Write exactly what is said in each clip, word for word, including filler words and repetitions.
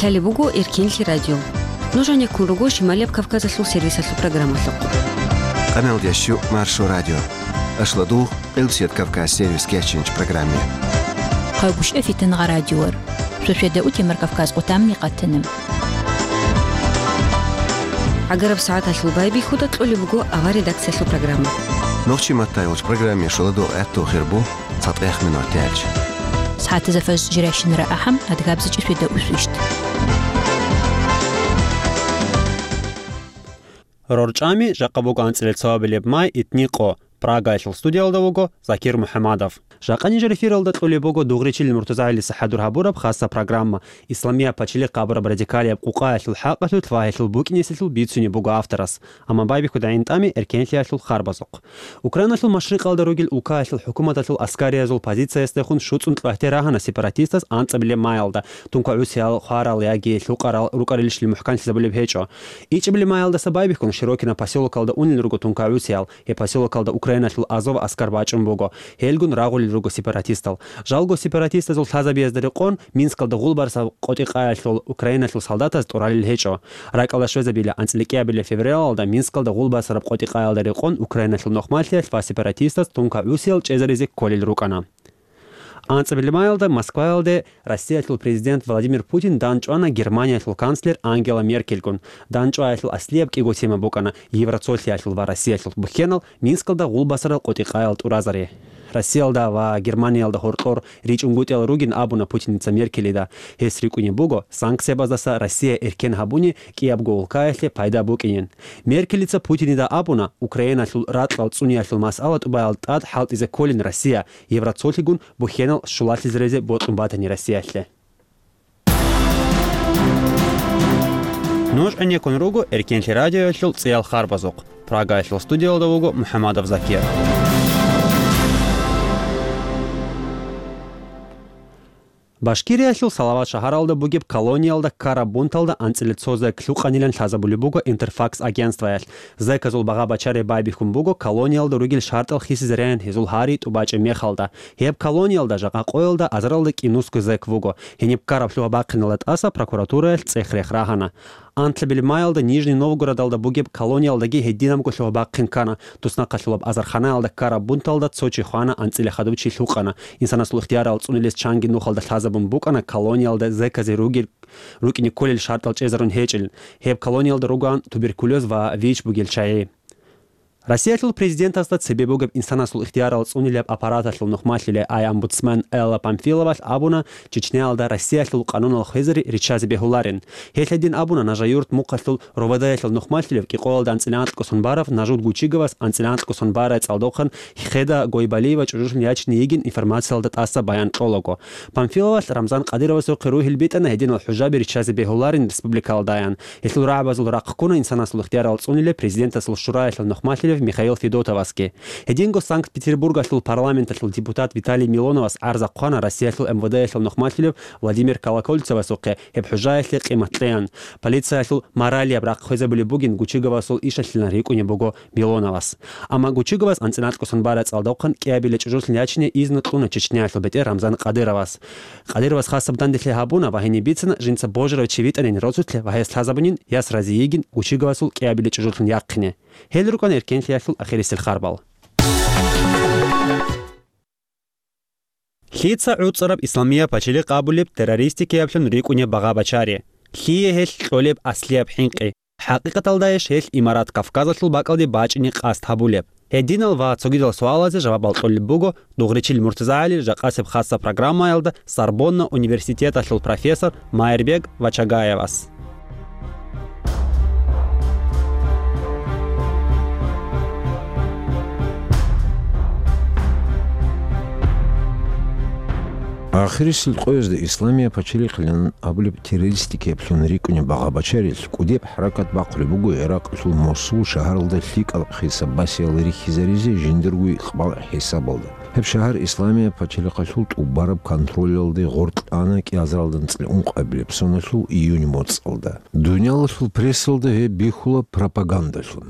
Лъалеб буго Эркенлъи радио. Нуж гьанеккун руго Шималияб Кавказалъул сервисалъул программалъухъ. Къамел дящу Маршо радио. Ашла дугъ Къилсият Кавказ сервис кечинч программе. Хъагушев Фитангъа радиор. Шошеда утемар Кавказ къутамни къатанам. Агараб сагӀаталъул байбихьуда кьолеб буго авар редакциялъул программа. Нохчи маттайулч программе шуладу гӀатту хирбу цатӀех минор тяч. СагӀатаза фаж жиращинара ахӀам адгабзичӀи шведа усвищт. РорчӀами жакъа буго анцӀила цоабилеб май итни къо. Прагаялъул студиялда вуго Закир МухӀамадов. Жакъа нижер эфиралда кьолеб буго Дугъричил МуртазагӀилиса хӀадур гьабураб хасса программа. Исламияб пачелихъ гьабураб радикалияб къукъаялъул хӀакъалъулъ ва гьелъул букӀинесилъул бицунеб буго авторас. Амма байбихьуда гӀинтӀами эркенлъиялъул харбазухъ. Украиналъул машрикъалда ругел улкаялъул хӀукуматалъул аскариязул позициясдехун шуцӀун кьвагьте рагьана сепаратистас анцӀабилеб маялда, тункагӀусиял хварал яги лъукъарал рукӀарилищли мухӀканлъизабулеб гьечӀо. ИчӀабилеб маялдаса байбихьун Широкино посёлокалда унел руго тункагӀусиял. Гьеб посёлокалда Украиналъул Азов аскар бачӀун буго. Гьелгун рагъулел руго сепаратистал. Жалго сепаратистазул лъазабиязда рекъон Минскалда гъулбарсаб къотӀи-къаялъул Украиналъул солдатаз тӀуралел гьечӀо. РакӀалда щвезабила анцӀила кӀиабилеб февралалда Минскалда гъулбарсараб къотӀи-къаялда рекъон Украиналъул нухмалъиялъ ва сепаратистаз тункагӀусиял чӀезаризе кколел рукӀана. АнцӀабилеб маялда Москваялде Россиялъул президент Владимир Путин данчӀвана Германиялъул канцлер Ангела Меркельгун. ДанчӀваялъул аслияб кӀиго тема букӀана Евроцолъиялъул ва Россиялъул бухьенал Минскалда гъулбасарал къотӀи-къаял тӀуразари. Россиялда ва Германиялда гьоркьор ричӀунгутӀиялал ругин абуна Путиница Меркелида. Гьес рикӀкӀунеб буго санкциябаздаса Россия эркен гьабуни кӀиябго улкаялъе пайда букӀинин. Меркелица Путинида абуна, Украиналъул ракьал цӀуниялъул масъала тӀубаял тӀад хӀалтӀизе кколин Россия, Евроцолъигун бухьенал щулалъизаризе бокьун батани Россиялъе. Нуж гӀенеккун руго Эркенлъи радиоялъул цӀиял харбазухъ. Прагаялъул студиялда вуго МухӀамадов Закир. Башкириялъул Салават шагьаралда бугеб колониялда ккараб бунталда анцӀила цо зек лъукъанилан лъазабулеб буго Интерфакс агентствоялъ. Зеказул багъа-бачари байбихьун буго колониялда ругел шартӀал хисизареян гьезул гьари тӀубачӀеб мехалда. Гьеб колониялда жакъа къоялда азаралда кӀинусго зек вуго. Гьениб ккараб лъугьа-бахъиналда тӀаса прокуратураялъ цӀех-рех рагьана. Анлъабилеб маялда Нижний Новгородалда бугеб колониялдаги гьединабго лъугьа-бахъин ккана. Туснахъалъулаб азарханаялда ккараб бунталда цо чи хвана, анцӀила хадуб чи лъукъана. Инсанасул ихтиярал цӀунилес чанги нухалда лъазабун букӀана колониялда зеказе ругел, рукӀине кколел шартӀал чӀезарун гьечӀел. Гьеб колониялда ругоан туберкулез ва ВИЧ бугел чагӀи. Россиялъул президентасда цебе бугеб инсанасул ихтиярал цӀунилеб аппараталъул нухмалъулей ай-омбудсмен Элла Памфиловалъ абуна, Чечняялда Россиялъул къанунал хвезари риччазе бегьуларин. Гьелъ гьедин абуна Нажа-Юрт мухъалъул РОВД-ялъул нухмалъулев кӀикъоялда анцӀила анкьго сон барав Нажуд Гучиговас анцӀила анкьго сон барай цӀалдохъан Хеда Гойбалиева чӀужулъун ячине йигин информациялда тӀаса баян кьолаго. Памфиловалъ Рамзан Кадыровасухъе ругьел битӀана гьединал хӀужаби риччазе бегьуларин республикалдаян. Гьелъул рагӀабазул рахъ ккуна инсанасул ихтиярал цӀунилеб президентасул шураялъул нухмалъулев Михаил Федотовасги. Гьединго Санкт-Петербургалъул парламенталъул депутат Виталий Милоновас гӀарз ахъвана Россиялъул МВД-ялъул нухмалъулев Владимир Колокольцевасухъе гьеб хӀужаялъе къимат кьеян. Полициялъул моралияб рахъ хвезабулеб бугин Гучиговасул ишалъилан рикӀкӀунеб буго Милоновас. Амма Гучиговас анцӀила анкьго сон барай цӀалдохъан кӀиабилеб чӀужулъун ячине изну кьуна Чечняялъул бетӀер Рамзан Кадыровас. Кадыровас хасаб данделъи гьабуна ва гьениб бицана жинца божарав чи витӀанин росулъе ва гьес лъазабунин яс рази йигин Гучиговасул кӀиабилеб чӀужулъун яхъине. Гьел рукӀана эркенлъиялъул ахирисел харбал. Лъица гӀуцӀараб исламияб пачалихъ абулеб террористикияблъун рикӀкӀунеб багъа-бачари? Лъие гьелъ кьолеб аслияб хӀинкъи? ХӀакъикъаталдайищ гьелъ имарат Кавказалъул бакӀалде бачӀине къасд гьабулеб? Гьединал ва цогидал суалазе жавабал кьолеб буго Дугъричил МуртазагӀалил жакъасеб хасса программаялда Сорбонна университеталъул профессор Майрбек Вачагаевас. Ахирисел къоязда исламияб пачалихълъан абулеб террористикияблъун рикӀкӀунеб багъа-бачарилъ кӀудеб хӀаракат бахъулеб буго Иракьалъул Мосул шагьаралда лъикӀал хисаб-басиял рихьизаризе жиндирго икъбал хӀисабалда. Гьеб шагьар исламияб пачалихъалъул тӀубараб контролалде гъоркьана кӀиазаралда анцӀила ункъабилеб соналъул июнь моцӀалда. Дуниялалъул прессалда гьеб бихьула пропагандалъун.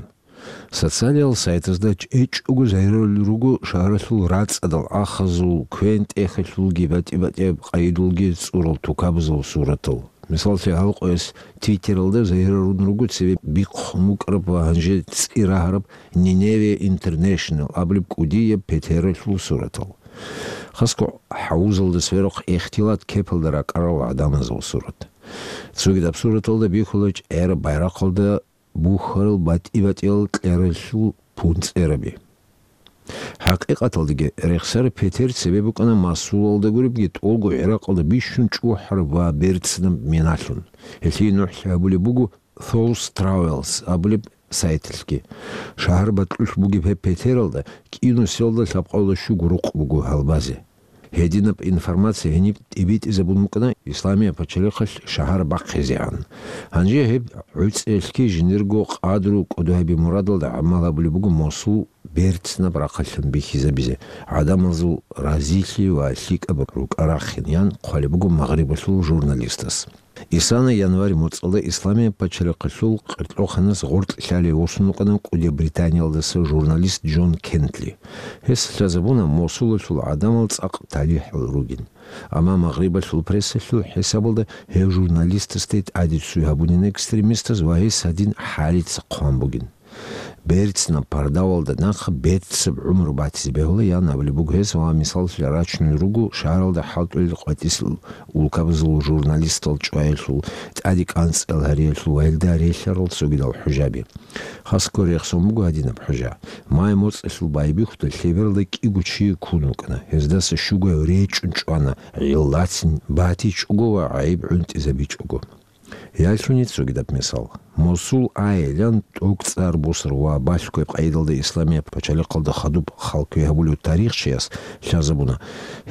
Социалиял сайтазда чӀечӀого загьирулел руго шагьаралъул рацӀцӀадал ахазул, квен-тӀехалъулги батӀи-батӀияб къайидулги цӀурал тукабазул суратал. Мисаллъи, гьал къояс Твиттералда загьирарун руго цебе бихъун букӀараб ва гьанже цӀи рагьараб Nineveh International абулеб кӀудияб петералъул суратал. Хасго хӀавузалда сверухъ ихтилат кепалда ракӀарал гӀадамазул сурат. Цогидаб сураталда бихьула чӀераб байрахъалда бухьарал батӀи-батӀиял кьералъул пунцӀераби. ХӀакъикъаталдаги, рехсараб петер цебе букӀана Мосулалда гуребги тӀолго ГӀиракъалда бищун чӀухӀараб ва берцинаб миналъун. Гьелъие нухӀлъи гьабулеб буго Thought Travels абулеб сайталъги. Шагьар бакьулъ бугеб гьеб петералда кӀинусиялда лъабкъоялда щуго рукъ буго гьалбазе. Гьединаб информация гьениб тӀибитӀизабун букӀана Исламияб пачалихъалъ шагьар бахъизегӀан. Гьанже гьеб гӀуцӀиялъги жиндирго къадру кӀодо гьаби мурадалда гӀамал гьабулеб буго Мосул берцинаб рахъалъан бихьизабизе, гӀадамазул разилъи ва лъикӀаб рукӀа-рахъин, ян хъвалеб буго Магърибалъул журналистас. Исана январь моцӀалда Исламияб пачалихъалъул къеркьоханас гъоркь лъалев восун вукӀана кӀудияб Британиялдаса журналист Джон Кентли. Гьес лъазабуна Мосулалъул гӀадамал цӀакъ талихӀал ругин. Амма Магърибалъул прессалъул хӀисабалда гьев журналистасде тӀаде цӀуй гьабунин экстремистаз ва гьес гьадин хӀалица хъван бугин. Берцинаб пардавалда нахъа берцинаб гӀумру батизе бегьула, ян абулеб буго гьес ва мисаллъи рачунел руго шагьаралда хӀалтӀулел къватӀисел улкабазул журналистал чӀваялъул, тӀаде кӀанцӀал гьариялъул ва гьелда релълъарал цогидал хӀужаби. Хасго рехсон буго гьадинаб хӀужа. Май моцӀалъул байбихьуда лъебералда кӀиго чи ккун вукӀана. Гьездаса щугояв речӀчӀун чӀвана, гӀиллацин батичӀого ва гӀайиб гӀунтӀизабичӀого. Ялъуни цогидаб мисал. Мосул айилан тӀокӀцӀар бусур ва балъгояб къайдалда Исламияб пачалихъалда хадуб халкуе гьабулев тарихчияс лъазабуна,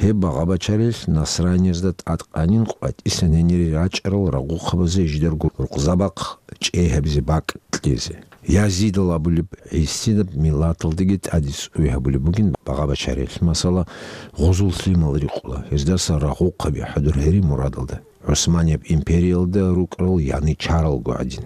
гьеб багъа-бачарилъ насраниязда тӀадкъанин къватӀисан гьенире рачӀарал рагъухъабазе жидарго рукъзабахъ чӀей гьабизе бакӀ кьезе. Язидал абулеб гӀисинаб миллаталдаги тӀаде цӀуй гьабулеб бугин багъа-бачарилъ. Масала, гъузул лъимал рикъула, гьездаса рагъухъаби хӀадур гьери мурадалда. ГӀусманияб империялда рукӀарал яничаралго гӀадин.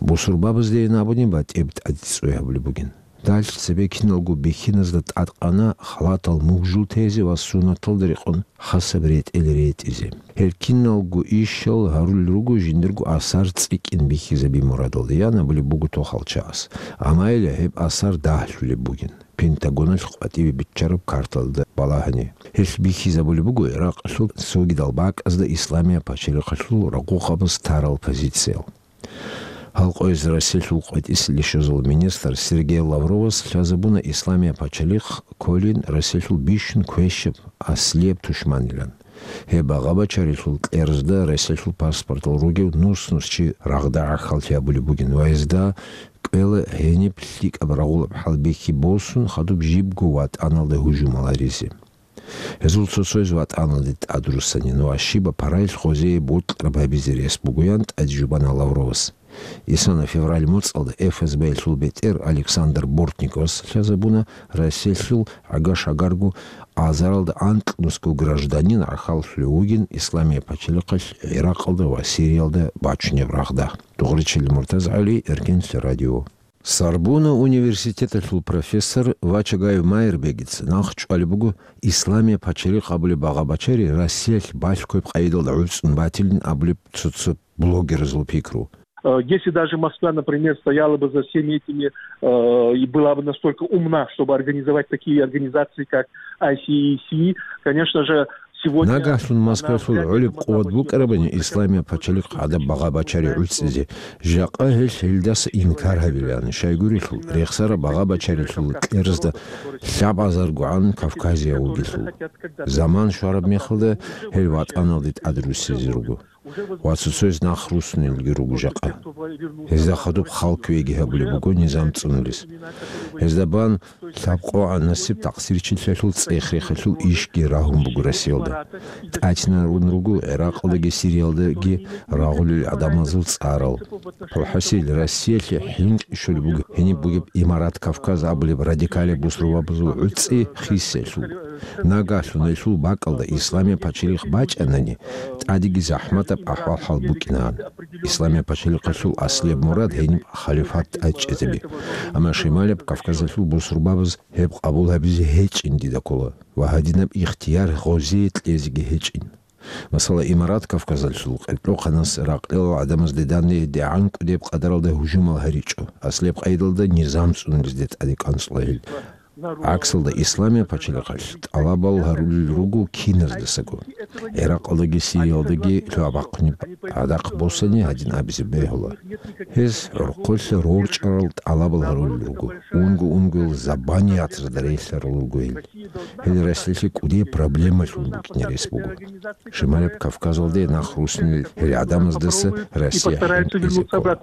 Бусурбабаздейин абуни батӀиб тӀаде цӀуй гьабулеб бугин. Далъ цебе киналго бихьиназда тӀадкъана халатал мугжул тезе ва суннаталда рекъон хасаб ретӀел ретӀизе. Гьел киналго ишал гьарулел руго жиндирго асар цӀикӀкӀин бихьизаби мурадалда, ян абулеб буго тохалчагӀас. Амма гьеб асар дагьлъулеб бугин. Пентагоналъ къватӀибе биччараб карталда балагьани. Гьелъ бихьизабулеб буго Иракъалъул цогидал бакӀазда Исламияб пачалихъалъул рагъухъабаз тарал позициял. Гьал къояз Россиялъул къватӀисел щвезабурал министр Сергей Лавровас лъазабуна Исламияб пачалихъ кколин Россиялъул бищун квешаб аслияб тушманилан. Гьеб багъа-бачарилъул кьерзда Россиялъул паспортал ругев нус-нус чи рагъда гӀахьаллъи гьабулеб бугин ва гьезда кӀвела гьениб лъикӀаб рагъулаб хӀалбихьи босун хадуб жибго ватӀаналда гьужумал гьаризе. Гьезул цо-цояз ватӀаналде тӀадруссанин ва щибаб параялъ гъозие бокьараб гьабизе рес бугоян тӀаде жубана Лавровас. Исана февраль моцӀалда ФСБ-ялъул бетӀер Александр Бортниковас лъазабуна Россиялъул гӀага-шагарго азаралда анкьнусго гражданин гӀахьаллъулев вугин Исламияб пачалихъалъ Иракъалда ва Сириялда бачунеб рагъда. Дугъричил МуртазгӀали, Эркенлъи радио. Сорбонна университеталъул профессор Вачагаев Майрбегица нахъчӀвалеб буго Исламияб пачалихъ абулеб багъа-бачари Россиялъ балъгояб къайдалда гӀуцӀун батилин абулеб цо-цо блогерзул пикру. Э, если даже Москва, например, стояла бы за всеми этими, э, и была бы настолько умна, чтобы организовать такие организации, как I C C, конечно же, Нагагьлъун Москвалъул гӀолеб къуват букӀарабани Исламияб пачалихъ гӀадаб багъа-бачари гӀуцӀизе, жакъа гьелъ гьелдаса инкар гьабилаан, щайгурелъул рехсараб багъа-бачарилъул кьерзда лъабазаргогӀан Кавказияв вугелъул. Заман щвараб мехалда гьел ватӀаналде тӀадруссизе руго. Ва цо-цояз нах руссунелги руго жакъа. Гьезда хадуб халкуеги гьабулеб буго низам цӀунулес. Гьезда бан лъабкъогӀан насиб такъсирчилъиялъул цӀех-рехалъул ишги рагьун буго Россиялда. ТӀатинарун руго ГӀиракъалдаги Сириялдаги рагъулел гӀадамазул цӀарал. ХӀасил, Россиялъе хӀинкъи щолеб буго гьениб бугеб Имарат Кавказ абулеб радикалияб бусурбабазул гӀуцӀи хисиялъул. Нагагьлъун гьелъул бакӀалда Исламияб пачалихъ бачӀанани, тӀадеги захӀматаб ахӀвал-хӀал букӀинаан. Исламияб пачалихъалъул аслияб мурад гьениб халифат тӀадчӀезаби. Амма Шималияб Кавказалъул бусурбабаз гьеб къабул гьабизе гьечӀин дида ккола ва гьадинаб ихтияр гъозие кьезеги гьечӀин. Масала, Имарат Кавказалъул къеркьохъанас ракълилал гӀадамазде данде дигӀан кӀудеб къадаралда гьужумал гьаричӀо, аслияб къайдалда низам цӀунулезде тӀаде кӀанцӀула гьел. ГӀаксалда, Исламияб пачалихъалъ тӀалабал гьарулел руго киназдасаго. ГӀиракъалдаги Сириялдаги лъугьа-бахъунеб гӀадахъ босани гьадин абизе бегьула. Гьез гӀорхъолъа рорчӀарал тӀалабал гьарулел руго, унго-унгоял забаниятазда релълъарал руго гьел. Гьел Россиялъе кӀудияб проблемалъун букӀине рес буго. Шималаб Кавказалде нах руссунел гьел гӀадамаздаса Россия хӀинкъизе ккола.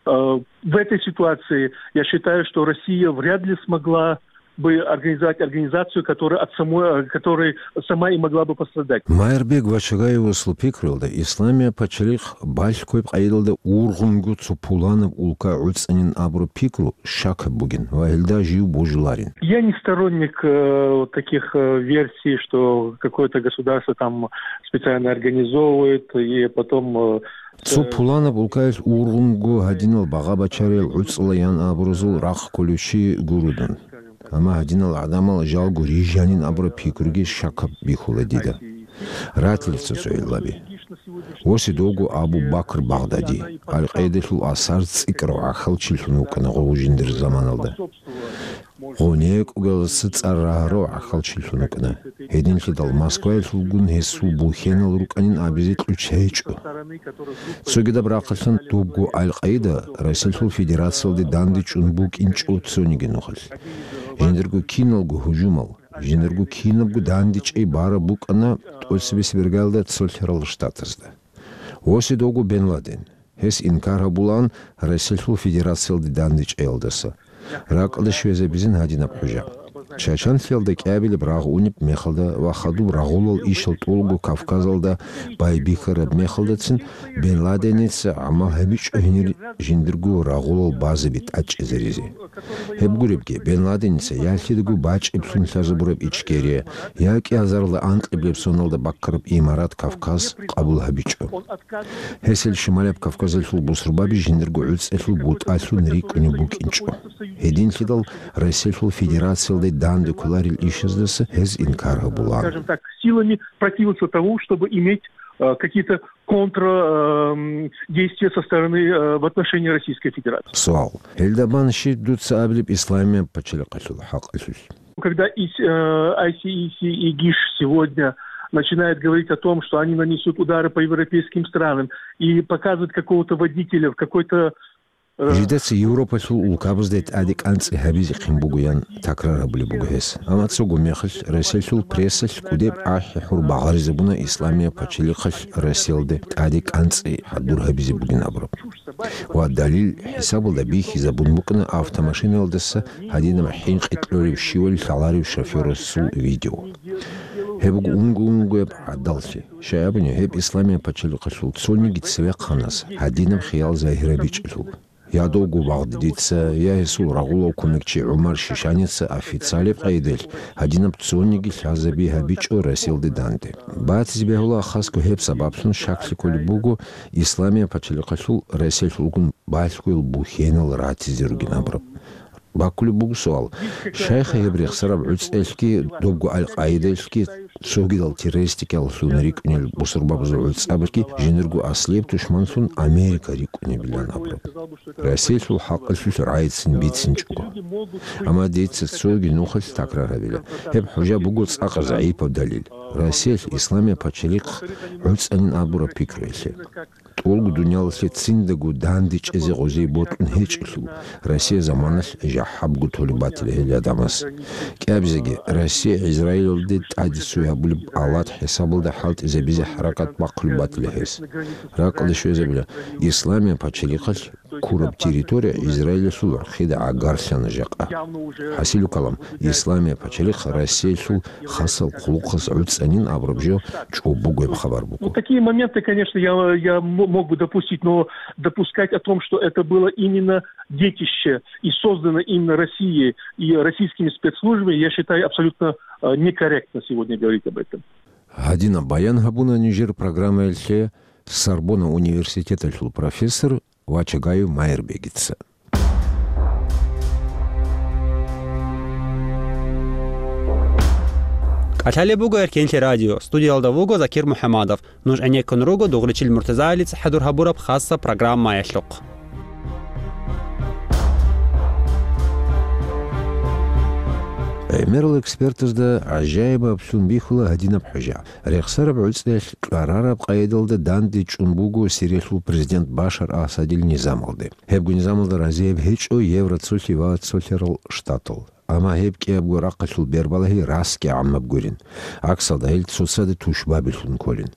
Э, в этой ситуации я считаю, что Россия вряд ли смогла бы организовать организацию, которая от самой, э, которой сама и могла бы пострадать. Майрбек Вачагаевасул пикруялда, Исламияб пачалихъ балъгояб къайдалда ургъунго цо пуланаб улка гӀуцӀанин абураб пикру щакаб бугин ва гьелда жив божуларин. Я не сторонник, э, вот таких, э, версий, что какое-то государство там специально организовывает и потом, э, Цо пуланаб улкаялъ ургъунго гьадинал багъа-бачариял гӀуцӀла ян абуразул рахъ кколев чи гуро дун. Амма гьадинал гӀадамал жалго рижанин абураб пикруги щакаб бихьула дида. Ратила цо-цо гӀиллаби. Восидовго Абу Бакр Багъдади, Аль-Къаидалъул асар цӀикӀкӀарав гӀахьалчилъун вукӀана гъов жиндир заманалда. Гъов некӀугеласа цӀар рагьарав гӀахьалчилъун вукӀана. Гьединлъидал Москваялъулгун гьесул бухьенал рукӀанин абизе кьучӀ гьечӀо. Цогидаб рахъалъан дубго Аль-Къаида Россиялъул Федерациялде дандечӀун букӀинчӀо цониги нухалъ. Жиндирго киналго гьужумал, жиндирго кинабго дандечӀей бараб букӀана тӀоцебесеб иргаялда цолъарал штатазда. Восидовго Бен Ладен. Гьес инкар гьабулаан Россиялъул Федерациялде дандечӀеялдаса. Ракьалда щвезабизин гьадинаб хӀужа. Чачанлъиялда кӀиабилеб рагъ унеб мехалда ва хадуб рагъулал ишал тӀолго Кавказалда байбихьараб мехалдацин Бен Ладеница гӀамал гьабичӀо гьенир жиндирго рагъулал базаби тӀачӀизаризе. Гьеб гуребги, Бен Ладеница я лъидаго бачӀиблъун лъазабураб Ичкерия, я кӀиазарла анкьиблеб соналда баккараб Имарат Кавказ къабул гьабичӀо. Гьесил Шималаб Кавказалъул бусурбаби жиндирго гӀуцӀелъул бутӀалъун рикӀкӀунеб букӀинчӀо. Гьединлъидал Россиялъул Федерациялде данде кколарел ишаздаса гьез инкар гьабулаан. Скажем так, силами противился тому, чтобы иметь, э, какие-то контр, эм, действия со стороны, э, в отношении Российской Федерации. Суал. Гьелда бан щиб дуца абилеб Исламияб пачалихъалъул хӀакъалъулъ? Когда ИС, э, ай си ай си и ГИШ сегодня начинает говорить о том, что они нанесут удары по европейским странам и показывают какого-то водителя в какой-то, э, Жидеца Европалъул улкабазде тӀаде кӀанцӀи гьабизехъин бугоян такрар гьабулеб буго гьес. Амма цого мехалъ Россиялъул прессалъ кӀудеб ахӀи-хӀур багъаризабуна Исламияб пачалихъалъ Россиялде тӀаде кӀанцӀи хӀадур гьабизе бугин абураб. Ва далил хӀисабалда бихьизабун букӀана автомашинаялдаса гьадинаб хӀинкъи кьолев щивали лъаларев шофёрасул видео. Гьеб буго унго-унгояб гӀадаллъи. Щай абуни, гьеб Исламияб пачалихъалъул цониги цевехъанас гьадинаб хиял загьирабичӀелъул. Я довго Багъдадица, я гьесул рагъулав кумекчи ГӀумар Шишаница официалеб къайдалъ гьадинаб цониги лъазаби гьабичӀо Россиялде данде. Батизе бегьула хасго гьеб сабаблъун щаклъи кколеб буго Исламияб пачалихъалъул Россиялъулгун балъгоял бухьенал ратизе ругин абураб. Баккулеб буго суал. Щайха гьеб рехсараб гӀуцӀелъги, добго Аль-Къаидалъги, цогидал террористикаллъун рикӀкӀунел бусурбабазул гӀуцӀабазги жиндирго аслияб тушманлъун Америка рикӀкӀунебилан абураб? Россиялъул хӀакъалъулъ рагӀицин бицинчӀого. Амма дица цоги нухалъ такрар гьабила. Гьеб хӀужа буго цӀакъ загӀипаб далил. Россиялъ Исламияб пачалихъ гӀуцӀанин абураб пикруялъе. ТӀолго дуниялалъе циндаго дандечӀезе гъозие бокьун гьечӀелъул, Россия заманалъ жахӀабго толеб батила гьел гӀадамаз. КӀиабизеги, Россия Израилалде тӀаде цой гьабулеб алат хӀисабалда хӀалтӀизабизе хӀаракат бахъулеб батила гьес. Ракъалде щвезабила, Исламияб пачалихъалъ ккураб территория Израилалъул гӀурхъида гӀагарлъана жакъа. ХӀасилу калам, Исламияб пачалихъ Россиялъул хасал хъулухъаз гӀуцӀанин абураб жо чӀобогояб хабар буго. Ну, такие моменты, конечно, я, я м-, мог бы допустить, но допускать о том, что это было именно детище и создано именно Россией и российскими спецслужбами, я считаю абсолютно, э, некорректно сегодня говорить об этом. Гьадинаб баян гьабуна нижер программаялъе Сорбонна университеталъул профессор Вачагаев Майрбегица. Лъалеб буго Эркенлъи радио, студиялда вуго Закир МухӀамадов. Нуж гӀенеккун руго Дугъричил МуртазагӀилица хӀадур гьабураб хасаб программаялъухъ. ГӀемерал экспертазда гӀажаибаблъун бихьула гьадинаб хӀужа. Рехсараб гӀуцӀиялъ кьварараб къайдалда данде чӀун буго Сириялъул президент Башар Асадил низамалде. Гьебго низамалда разияб гьечӀо Евроцолъи ва Цолъарал Штатал. Амма гьеб кӀиябго рахъалъул бербалагьи расги гӀаммаб гурин. ГӀаксалда гьел цоцазда тушбабилъун кколин.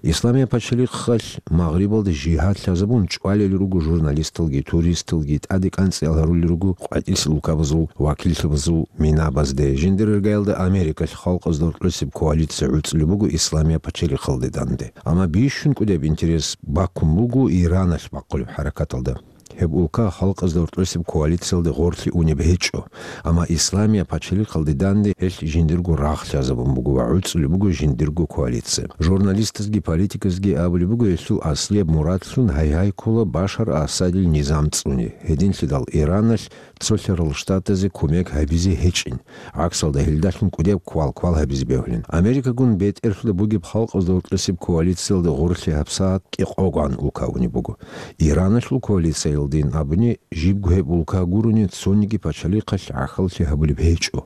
Исламияб пачалихъалъ Магърибалда жигьад лъазабун чӀвалел руго журналисталги, туристалги, тӀаде кӀанцӀиял гьарулел руго къватӀилъи улкабазул вакиллъабазул минабазде. Жиндир иргаялда Америкалъ халкъазда гьоркьосеб коалиция гӀуцӀулеб буго Исламияб пачалихъалде данде. Амма бищун кӀудеб интерес баккун буго Ираналъ бахъулеб хӀаракаталда. Гьеб улка халкъазда гьоркьосеб коалициялде гъорлъе унеб гьечӀо, амма Исламияб пачалихъалде данде гьелъ жиндирго рагъ лъазабун буго ва гӀуцӀулеб буго жиндирго коалиция. Журналистазги политиказги абулеб буго гьелъул аслияб мурадлъун гьайгьай ккола Башар Асадил низам цӀуни. Гьединлъидал Ираналъ Цолъарал Штатазе кумек гьабизе гьечӀин. ГӀаксалда гьелдалъун кӀудеб квал-квал гьабизе бегьулин. Америкагун бетӀерлъуда бугеб халкъазда гьоркьосеб коалициялда гъорлъе гьабсагӀат кӀикъогогӀан улка унеб буго. Ираналъул коалициялдин абуни, жибго гьеб улка гурони цониги пачалихъалъ гӀахьаллъи гьабулеб гьечӀо.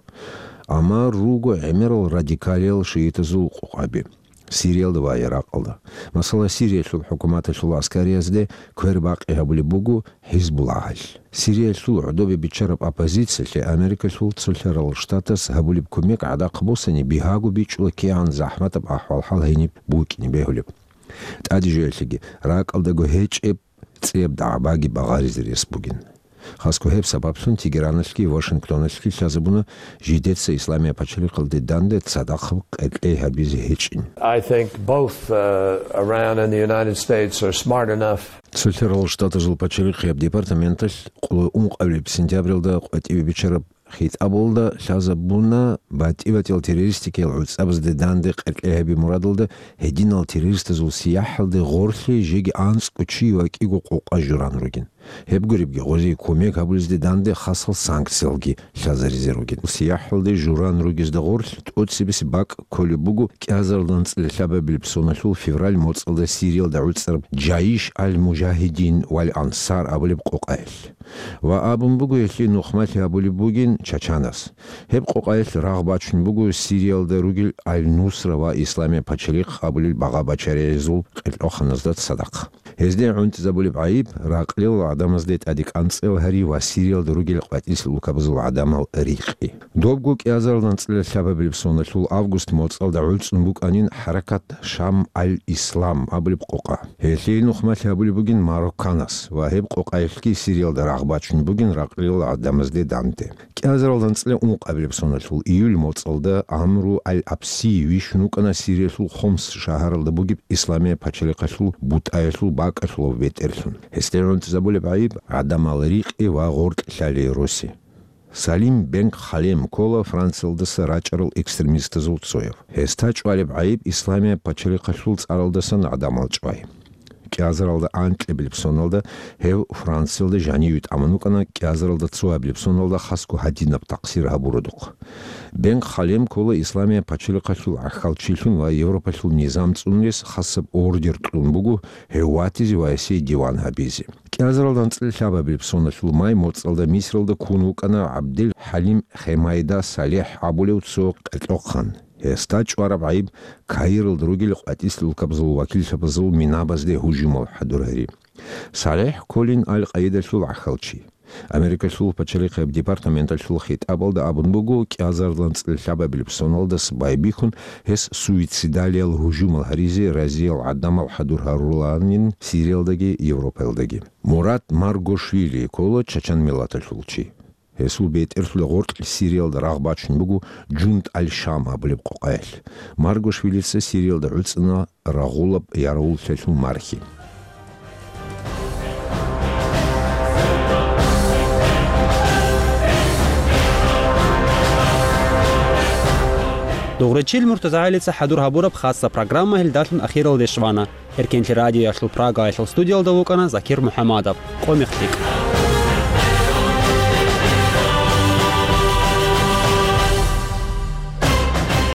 Амма руго гӀемерал радикалиял шиитазул къукъаби Сириялда ва Иракъалда. Масала, Сириялъул хӀукуматалъул аскариязде квербакъи гьабулеб буго ХӀизбуллагьалъ. Сириялъул гӀодобе биччараб оппозициялъе Америкалъул Цолъарал Штатас гьабулеб кумек гӀадахъ босани, бигьаго бичӀчӀула кигӀан захӀматаб ахӀвал-хӀал гьениб букӀине бегьулеб. ТӀаде жоялъеги ракӀалдаго гьечӀеб цӀияб дагӀбаги багъаризе рес бугин. Хасго гьеб сабаблъун Тегераналъги Вашингтоналъги лъазабуна жидеца Исламияб пачалихъалде данде цадахъ къеркьей гьабизе гьечӀин. I think both, uh, Iran and the United States are smart enough. Цолъарал Штатазул пачалихъияб департаменталъ къулай ункъабилеб сентябралда къватӀибе биччараб хитӀабалда лъазабуна батӀи-батӀиял террористикиял гӀуцӀабазде данде къеркьей гьаби мурадалда гьединал террористазул сияхӀалде гъорлъе жеги анцӀго чи ва кӀиго къокъа журан ругин. Гьеб гуребги, гъозие кумек гьабулезде данде хасал санкциялги лъазаризе ругин. СияхӀалде журан ругезда гъорлъ тӀоцебесеб бакӀ кколеб буго кӀиазарилда анцӀила лъабабилеб соналъул февраль моцӀалда Сириялда гӀуцӀараб Джаиш аль-Мужагьидин вал Ансар абулеб къокъаялъ. Ва абун буго гьелъие нухмалъи гьабулеб бугин Чачанас. Гьеб къокъаялъ рагъ бачун буго Сириялда ругел Аль-Нусра ва Исламияб пачалихъ абулел багъа-бачаригӀазул къеркьоханазда цадахъ. Гьезде гӀунтӀизабулеб гӀайиб ракълил гӀадамазде тӀаде кӀанцӀел гьари ва Сириялда ругел къватӀилъи улкабазул гӀадамал рикъи. Добго кӀиазарилда анцӀила лъабабилеб соналъул август моцӀалда гӀуцӀун букӀанин хӀаракат Шам аль-Ислам абулеб къокъа. Гьелъие нухмалъи гьабулеб бугин Марокканас ва гьеб къокъаялъги Сириялда рагъ бачун бугин ракълил гӀадамазде данде. КӀиазарилда анцӀила ункъабилеб соналъул июль моцӀалда Амру аль-Абси вищун вукӀана Сириялъул Хомс шагьаралда бугеб Исламияб пачалихъалъул бутӀаялъул бакӀалъулав бетӀерлъун. Гьесде гӀунтӀизабулеб гӀайиб гӀадамал рикъи ва гъоркь лъалей роси. Салим бен Халем ккола Франциялдаса рачӀарал экстремистазул цояв. Гьесда чӀвалеб гӀайиб Исламияб пачалихъалъул цӀаралдасан гӀадамал чӀвай. КӀиазарилда анкьабилеб соналда гьев Франциялда жаниве тӀамун вукӀана, кӀиазарилда цоабилеб соналда хасго гьадинаб такъсир гьабуродухъ. Бен Халем ккола Исламияб пачалихъалъул гӀахьалчилъун ва Европалъул низам цӀунрес хасаб ордер кьун буго гьев ватизе ва гьесие диван гьабизе. КӀиазарилда анцӀила лъабабилеб соналъул май моцӀалда Мисралда ккун вукӀана ГӀабдел ХӀалим Хемайда Салехь абулев цо къеркьохъан. Гьесда чӀвараб гӀайиб Каиралда ругел къватӀилъи улкабазул вакиллъабазул минабазде гьужумал хӀадур гьари. Салехь кколин Аль-Къаидалъул гӀахьалчи. Америкалъул пачалихъияб департаменталъул хитӀабалда абун буго, кӀиазарилда анцӀила лъабабилеб соналдас байбихьун, гьес суицидалиял гьужумал гьаризе разиял гӀадамал хӀадур гьарулаанин Сириялдаги Европаялдаги. Мурат Маргошвили ккола чачан миллаталъул чи. Гьесул бетӀерлъула гъоркь Сириялда рагъ бачун буго Джунд аль-Шам абулеб къокъаялъ. Маргошвилица Сириялда гӀуцӀана рагъулаб яравуллъиялъул мархи. Дугъричил МуртазагӀилица хӀадур гьабураб хасаб программа гьелдалъун ахиралде щвана. Эркенлъи радиоялъул Прагаялъул студиялда вукӀана Закир МухӀамадов. Къо мехтикь.